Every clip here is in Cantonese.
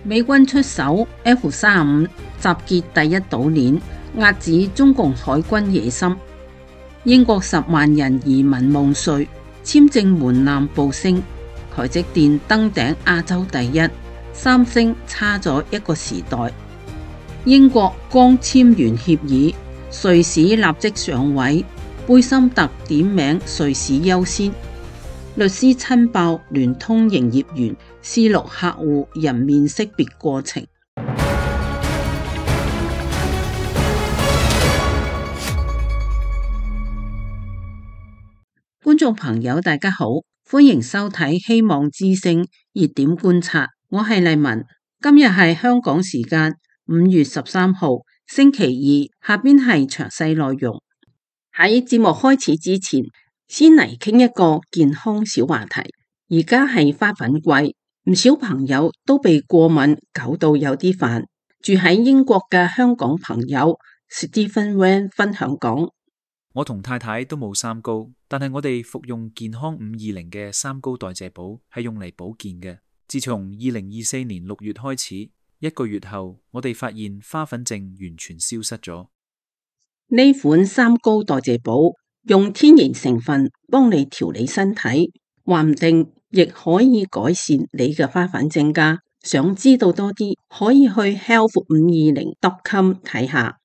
美軍出手 F-35，集結第一島鏈，遏止中共海軍野心。英國10萬人移民夢碎，簽證門檻暴升。台積電登頂亞洲第一，三星差咗一個時代。英國剛簽完協議，瑞士立即上位，貝森特點名瑞士優先。律師親爆聯通營業員試錄客戶人面識別過程。觀眾朋友大家好，歡迎收睇希望之聲熱點觀察，我係麗文。今日係香港時間5月13號星期二，下邊係詳細內容。喺節目開始之前，先嚟傾一個健康小話題。而家係花粉季，唔少朋友都被過敏搞到有啲煩。住喺英國嘅香港朋友 Stephen Wan 分享講：我同太太都冇三高，但係我哋服用健康520嘅三高代謝寶係用嚟保健嘅。自從2024年6月開始，1個月後，我哋發現花粉症完全消失咗。呢款三高代謝寶用天然成分幫你調理身體，話唔定亦可以改善你嘅花粉症㗎。想知道多啲，可以去 health520.com 睇下。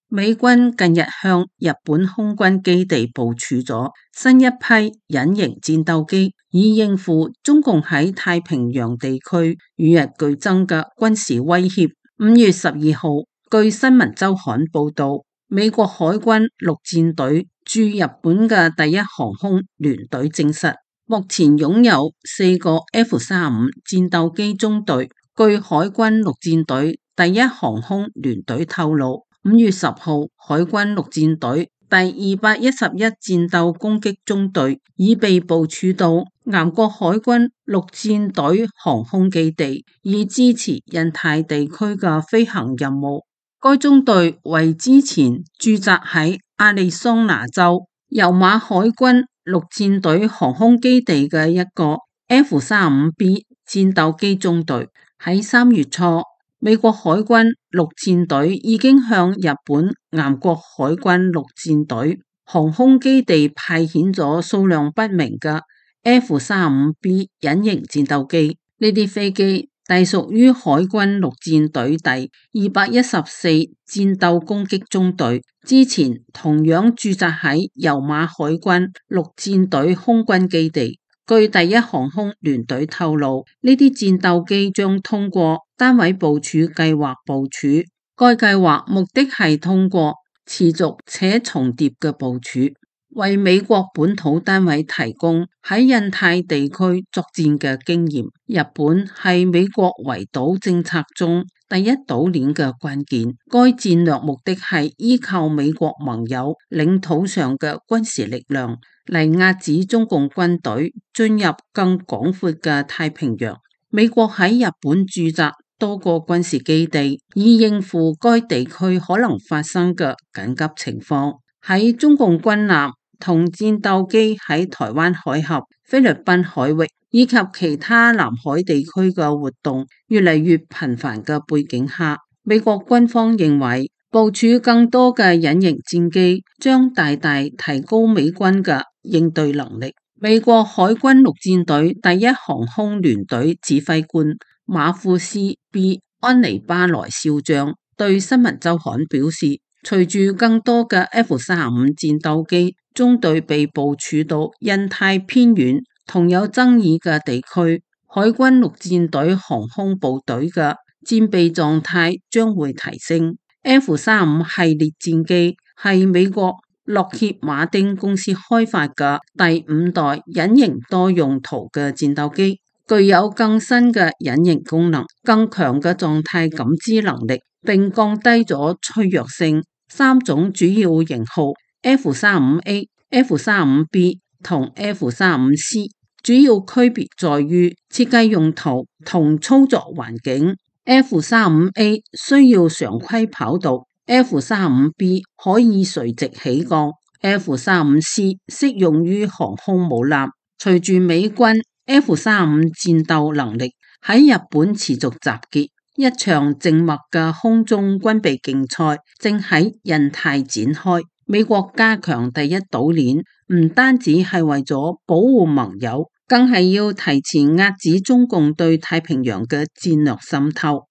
美軍近日向日本空軍基地部署咗新一批隱形戰鬥機，以應付中共喺太平洋地區與日俱增嘅軍事威脅。5月12號，據新聞週刊報道，美國海軍陸戰隊駐日本嘅第一航空聯隊證實，目前擁有4個 F-35戰鬥機中隊。據海軍陸戰隊第一航空聯隊透露，5月10號，海軍陸戰隊第211戰鬥攻擊中隊已被部署到南國海軍陸戰隊航空基地，以支持印太地區嘅飛行任務。該中隊為之前駐紮喺亞利桑那州尤馬海軍陸戰隊航空基地嘅一個 F-35B 戰鬥機中隊。喺3月初，美國海軍陸戰隊已經向日本南國海軍陸戰隊航空基地派遣咗數量不明嘅 F-35B 隱形戰鬥機。呢啲飛機隸屬於海軍陸戰隊第214戰鬥攻擊中隊，之前同樣駐紮喺尤馬海軍陸戰隊空軍基地。據第一航空聯隊透露，呢啲戰鬥機將通過單位部署計劃部署，該計劃目的係通過持續且重疊嘅部署，為美國本土單位提供喺印太地區作戰嘅經驗。日本係美國圍島政策中第一島鏈嘅關鍵，該戰略目的係依靠美國盟友領土上嘅軍事力量嚟遏止中共軍隊進入更廣闊嘅太平洋。美國喺日本駐紮多個軍事基地，以應付該地區可能發生嘅緊急情況。喺中共軍艦同戰鬥機喺台灣海峽、菲律賓海域以及其他南海地區嘅活動越嚟越頻繁嘅背景下，美國軍方認為部署更多嘅隱形戰機將大大提高美軍嘅應對能力。美國海軍陸戰隊第一航空聯隊指揮官馬庫斯 ·B· 安尼巴萊少將對新聞週刊表示，隨住更多嘅 F-35戰鬥機中隊被部署到印太偏遠同有爭議嘅地區，海軍陸戰隊航空部隊嘅戰備狀態將會提升。F-35系列戰機係美國洛歇馬丁公司開發嘅第5代隱形多用途嘅戰鬥機，具有更新嘅隱形功能、更強嘅狀態感知能力，並降低咗脆弱性。3種主要型號 F-35A、F-35B 同 F-35C 主要區別在於設計用途同操作環境。F-35A 需要常規跑道， F-35B 可以垂直起降， F-35C 適用於航空母艦。隨住美軍 F-35戰鬥能力喺日本持續集結，一場靜默嘅空中軍備競賽正喺印太展開。美國加強第一島鏈，唔單止係為咗保護盟友，更係要提前遏止中共對太平洋嘅戰略滲透。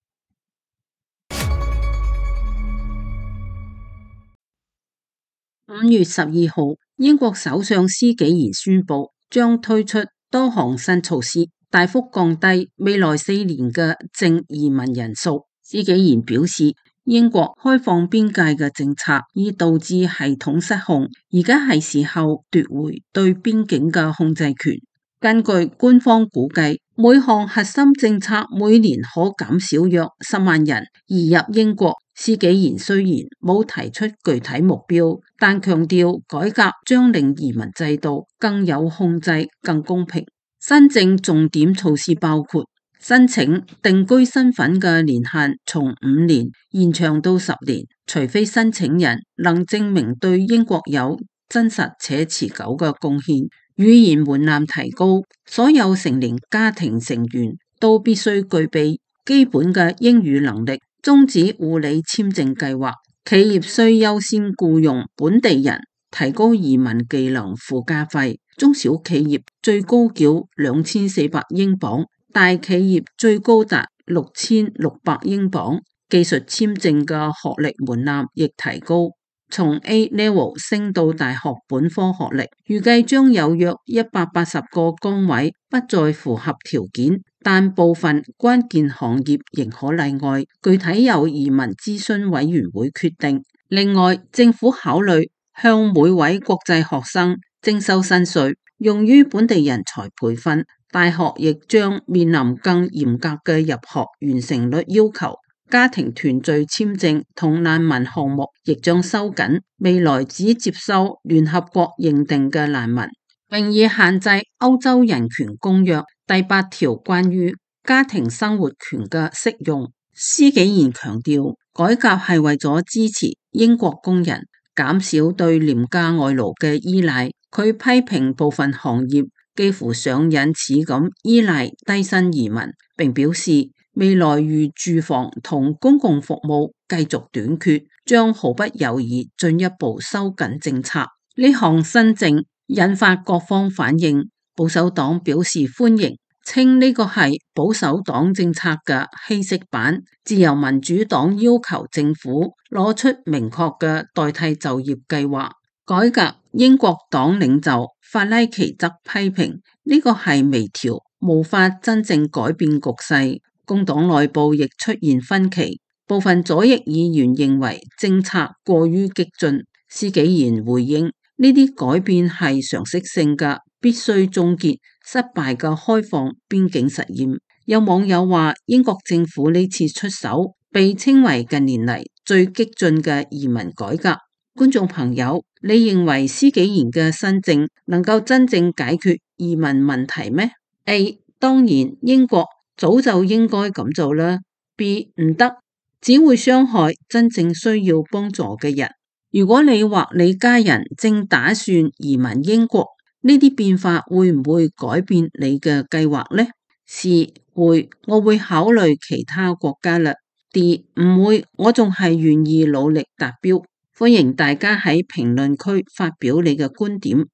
5月12號，英國首相施紀賢宣布將推出多項新措施，大幅降低未來4年嘅淨移民人數。施紀賢表示，英國開放邊界嘅政策已導致系統失控，而家係時候奪回對邊境嘅控制權。根據官方估計，每項核心政策每年可減少約10萬人移入英國。施紀賢雖然冇提出具體目標，但強調改革將令移民制度更有控制、更公平。新政重點措施包括申請定居身份嘅年限從5年延長到10年，除非申請人能證明對英國有真實且持久嘅貢獻。語言門檻提高，所有成年家庭成員都必須具備基本嘅英語能力。終止護理簽證計劃，企業需優先僱用本地人，提高移民技能附加費。中小企業最高繳2400英鎊，大企業最高達6600英鎊。技術簽證嘅學歷門檻亦提高，從 A level 升到大學本科學歷。預計將有約180個崗位不再符合條件，但部分關鍵行業仍可例外，具體由移民諮詢委員會決定。另外，政府考慮向每位國際學生徵收新稅，用於本地人才培訓。大學亦將面臨更嚴格嘅入學完成率要求。家庭團聚簽證同難民項目亦將收緊，未來只接收聯合國認定嘅難民，並已限制歐洲人權公約第8條關於家庭生活權嘅適用。施紀賢強調，改革係為咗支持英國工人，減少對廉價外勞嘅依賴。佢批評部分行業幾乎上癮似咁依賴低薪移民，並表示未來如住房同公共服務繼續短缺，將毫不猶豫進一步收緊政策。呢項新政引發各方反應，保守黨表示歡迎，稱呢個係保守黨政策嘅稀釋版。自由民主黨要求政府攞出明確嘅代替就業計劃。改革英國黨領袖法拉奇則批評呢個係微調，無法真正改變局勢。工黨內部亦出現分歧，部分左翼議員認為政策過於激進。施紀賢回應，呢啲改變係常識性嘅，必須終結失敗嘅開放邊境實驗。有網友話，英國政府呢次出手被稱為近年嚟最激進嘅移民改革。觀眾朋友，你認為施紀賢嘅新政能夠真正解決移民問題咩？ A. 當然，英國早就應該咁做啦。B. 唔得，只會傷害真正需要幫助嘅人。如果你或你家人正打算移民英國，呢啲變化會唔會改變你嘅計劃呢？ C. 會，我會考慮其他國家啦。D. 唔會，我仲係願意努力達標。歡迎大家喺評論區發表你嘅觀點。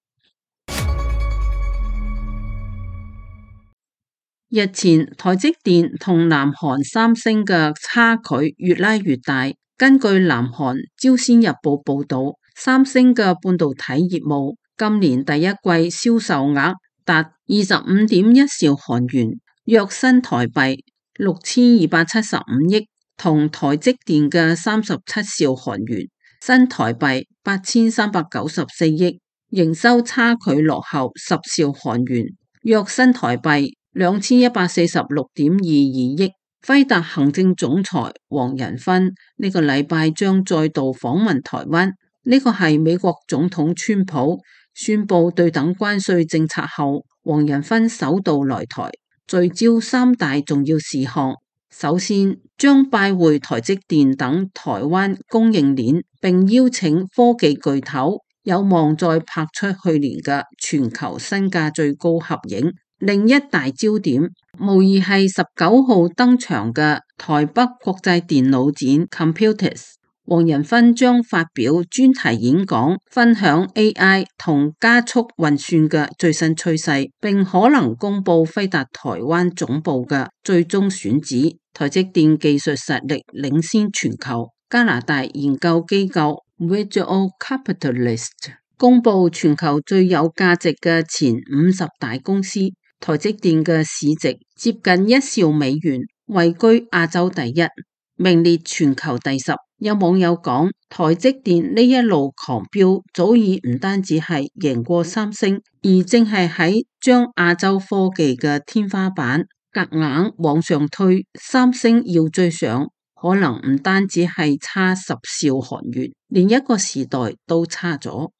日前，台積電同南韓三星嘅差距越拉越大。根據南韓朝鮮日報報道，三星嘅半導體業務今年第一季銷售額達25.1兆韓元，約新台幣6275億，同台積電嘅37兆韓元，新台幣8394億，營收差距落後10兆韓元，約新台幣2146.22億。輝達行政總裁黃仁勳呢個禮拜將再度訪問台灣，呢個係美國總統川普宣布對等關稅政策後，黃仁勳首度來台，聚焦3大重要事項。首先，將拜會台積電等台灣供應鏈，並邀請科技巨頭，有望再拍出去年嘅全球身價最高合影。另一大焦點無疑係19號登場嘅台北國際電腦展 Computex。黃仁勳將發表專題演講，分享 AI 同加速運算嘅最新趨勢，並可能公布輝達台灣總部嘅最終選址。台積電技術實力領先全球。加拿大研究機構 Visual Capitalist 公布全球最有價值嘅前50大公司，台積電嘅市值接近1兆美元，位居亞洲第一，名列全球第10。有網友講，台積電呢一路狂飆，早已唔單止係贏過三星，而正係喺將亞洲科技嘅天花板夾硬往上推。三星要追上，可能唔單止係差10兆韓元，連一個時代都差咗。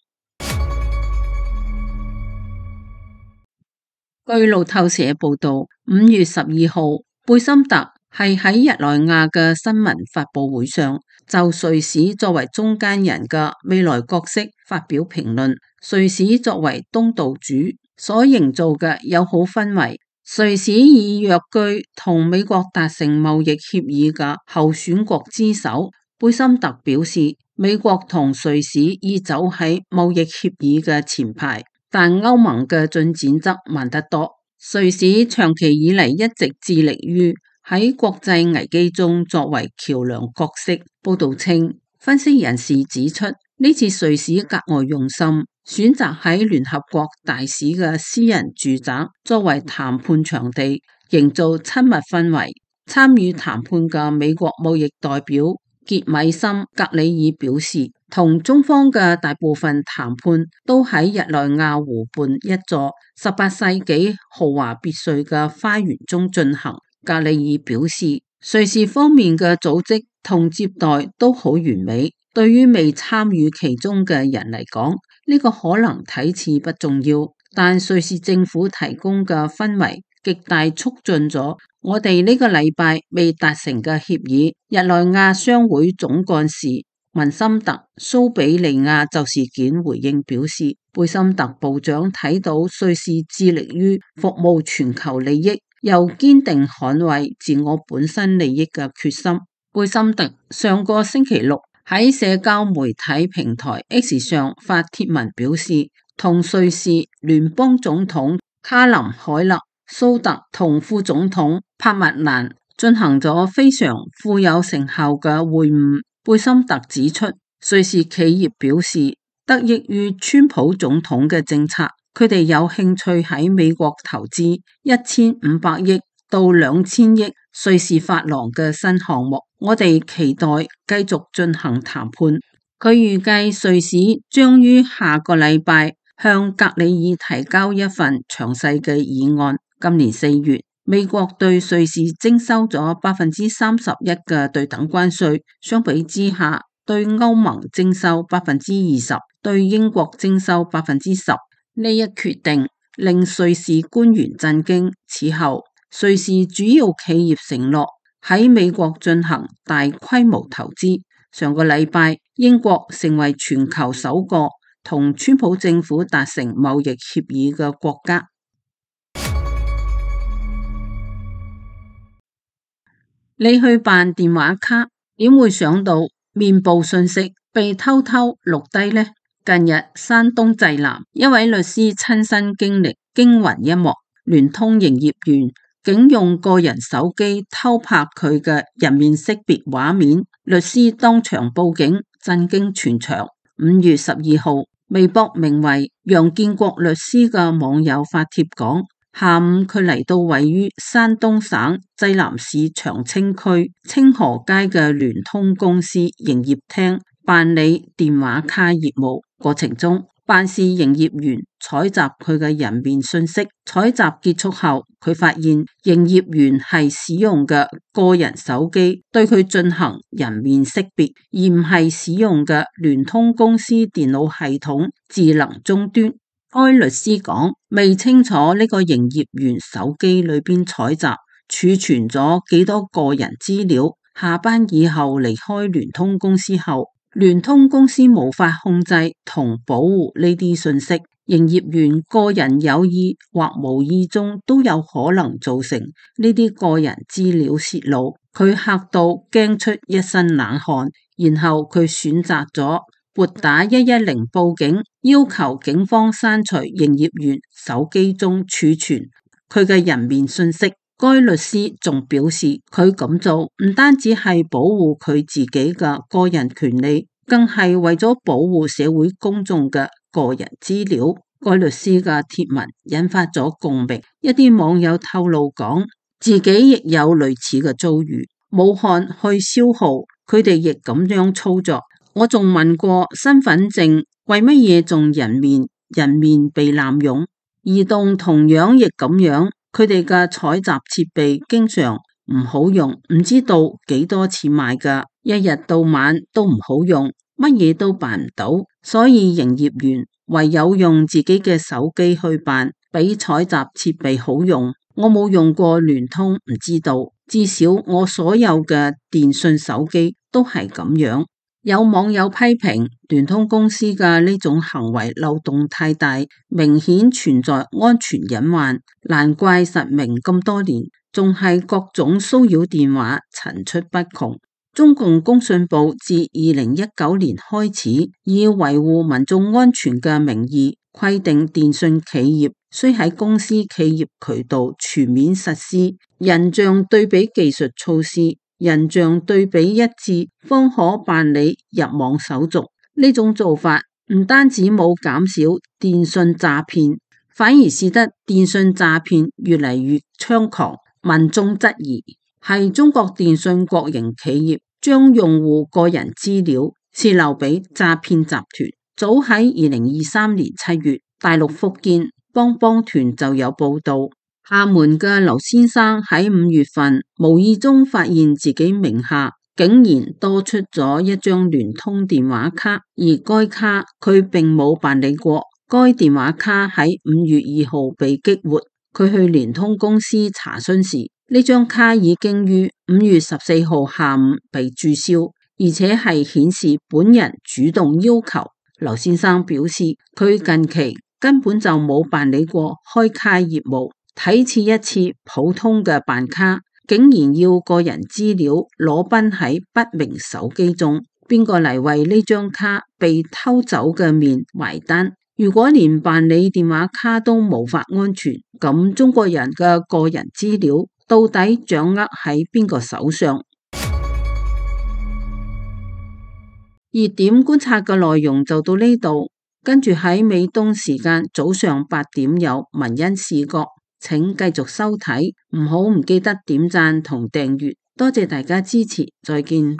據路透社報道，5月12號，貝森特係喺日內瓦嘅新聞發佈會上，就瑞士作為中間人嘅未來角色發表評論。瑞士作為東道主所營造嘅友好氛圍，瑞士以躍居同美國達成貿易協議嘅候選國之首。貝森特表示，美國同瑞士已走喺貿易協議嘅前排，但歐盟嘅進展則慢得多。瑞士長期以嚟一直致力於喺國際危機中作為橋樑角色。報道稱，分析人士指出，呢次瑞士格外用心，選擇喺聯合國大使嘅私人住宅作為談判場地，營造親密氛圍。參與談判嘅美國貿易代表傑米森格里爾表示，同中方嘅大部分談判都喺日內瓦湖畔一座18世紀豪華別墅嘅花園中進行。格里爾表示，瑞士方面嘅組織同接待都好完美，對於未參與其中嘅人嚟講，呢個可能睇似不重要，但瑞士政府提供嘅氛圍極大促進咗我哋呢個禮拜未達成嘅協議。日內瓦商會總幹事文森特蘇比利亞就事件回應表示，貝森特部長睇到瑞士致力於服務全球利益，又堅定捍衛自我本身利益嘅決心。貝森特上個星期六喺社交媒體平台 X 上發帖文表示，同瑞士聯邦總統卡林海勒蘇特同副總統帕麥蘭進行咗非常富有成效嘅會晤。貝森特指出，瑞士企業表示得益於川普總統嘅政策，佢哋有興趣喺美國投資1500億到2000億瑞士法郎嘅新項目。我哋期待繼續進行談判。佢預計瑞士將於下個禮拜向格里爾提交一份詳細嘅議案。今年4月，美國對瑞士徵收咗31%嘅對等關稅，相比之下，對歐盟徵收20%，對英國徵收10%。呢一決定令瑞士官員震驚。此後，瑞士主要企業承諾喺美國進行大規模投資。上個禮拜，英國成為全球首個同川普政府達成貿易協議嘅國家。你去辦電話卡，點會想到面部信息被偷偷錄低呢？近日山東濟南一位律師親身經歷驚魂一幕，聯通營業員竟用個人手機偷拍佢嘅人面識別畫面，律師當場報警，震驚全場。5月12號，微博名為楊建國律師嘅網友發帖講，下午佢嚟到位於山東省濟南市長青區清河街嘅聯通公司營業廳辦理電話卡業務，過程中辦事營業員採集佢嘅人面信息，採集結束後，佢發現營業員係使用嘅個人手機對佢進行人面識別，而唔係使用嘅聯通公司電腦系統智能終端。該律師講，未清楚呢個營業員手機裏邊採集儲存咗幾多個人資料，下班以後離開聯通公司後，聯通公司無法控制同保護呢啲信息，營業員個人有意或無意中都有可能造成呢啲個人資料洩露。佢嚇到驚出一身冷汗，然後佢選擇咗撥打110報警，要求警方刪除營業員手機中儲存佢嘅人面信息。該律師仲表示，佢咁做唔單止係保護佢自己嘅個人權利，更係為咗保護社會公眾嘅個人資料。該律師嘅貼文引發咗共鳴，一啲網友透露講，自己亦有類似嘅遭遇。武漢去消耗，佢哋亦咁樣操作。我仲問過身份證為乜嘢仲人面被濫用？移動同樣亦咁樣。佢哋嘅採集設備經常唔好用，唔知道幾多錢買㗎，一日到晚都唔好用，乜嘢都辦唔到，所以營業員唯有用自己嘅手機去辦，比採集設備好用。我冇用過聯通，唔知道，至少我所有嘅電信手機都係咁樣。有網友批評聯通公司嘅呢種行為漏洞太大，明顯存在安全隱患，難怪實名咁多年，仲係各種騷擾電話層出不窮。中共工信部自2019年開始，以維護民眾安全嘅名義，規定電信企業須喺公司企業渠道全面實施人像對比技術措施，人像對比一致，方可辦理入網手續。呢種做法唔單止冇減少電信詐騙，反而使得電信詐騙越嚟越猖狂。民眾質疑係中國電信國營企業將用戶個人資料洩漏俾詐騙集團。早喺2023年7月，大陸福建幫幫團就有報道，廈門嘅劉先生喺5月份無意中發現自己名下竟然多出咗一張聯通電話卡，而該卡佢並冇辦理過。該電話卡喺5月2號被激活，佢去聯通公司查詢時，呢張卡已經於5月14號下午被註銷，而且係顯示本人主動要求。劉先生表示，佢近期根本就冇辦理過開卡業務，睇似一次普通嘅辦卡，竟然要個人資料裸奔喺不明手機中，邊個嚟為呢張卡被偷走嘅面埋單？如果連辦理電話卡都無法安全，咁中國人嘅個人資料到底掌握喺邊個手上？熱點觀察嘅內容就到呢度，跟住喺美東時間早上8點有文欣視角，請繼續收睇，唔記得點讚同訂閱，多謝大家支持，再見。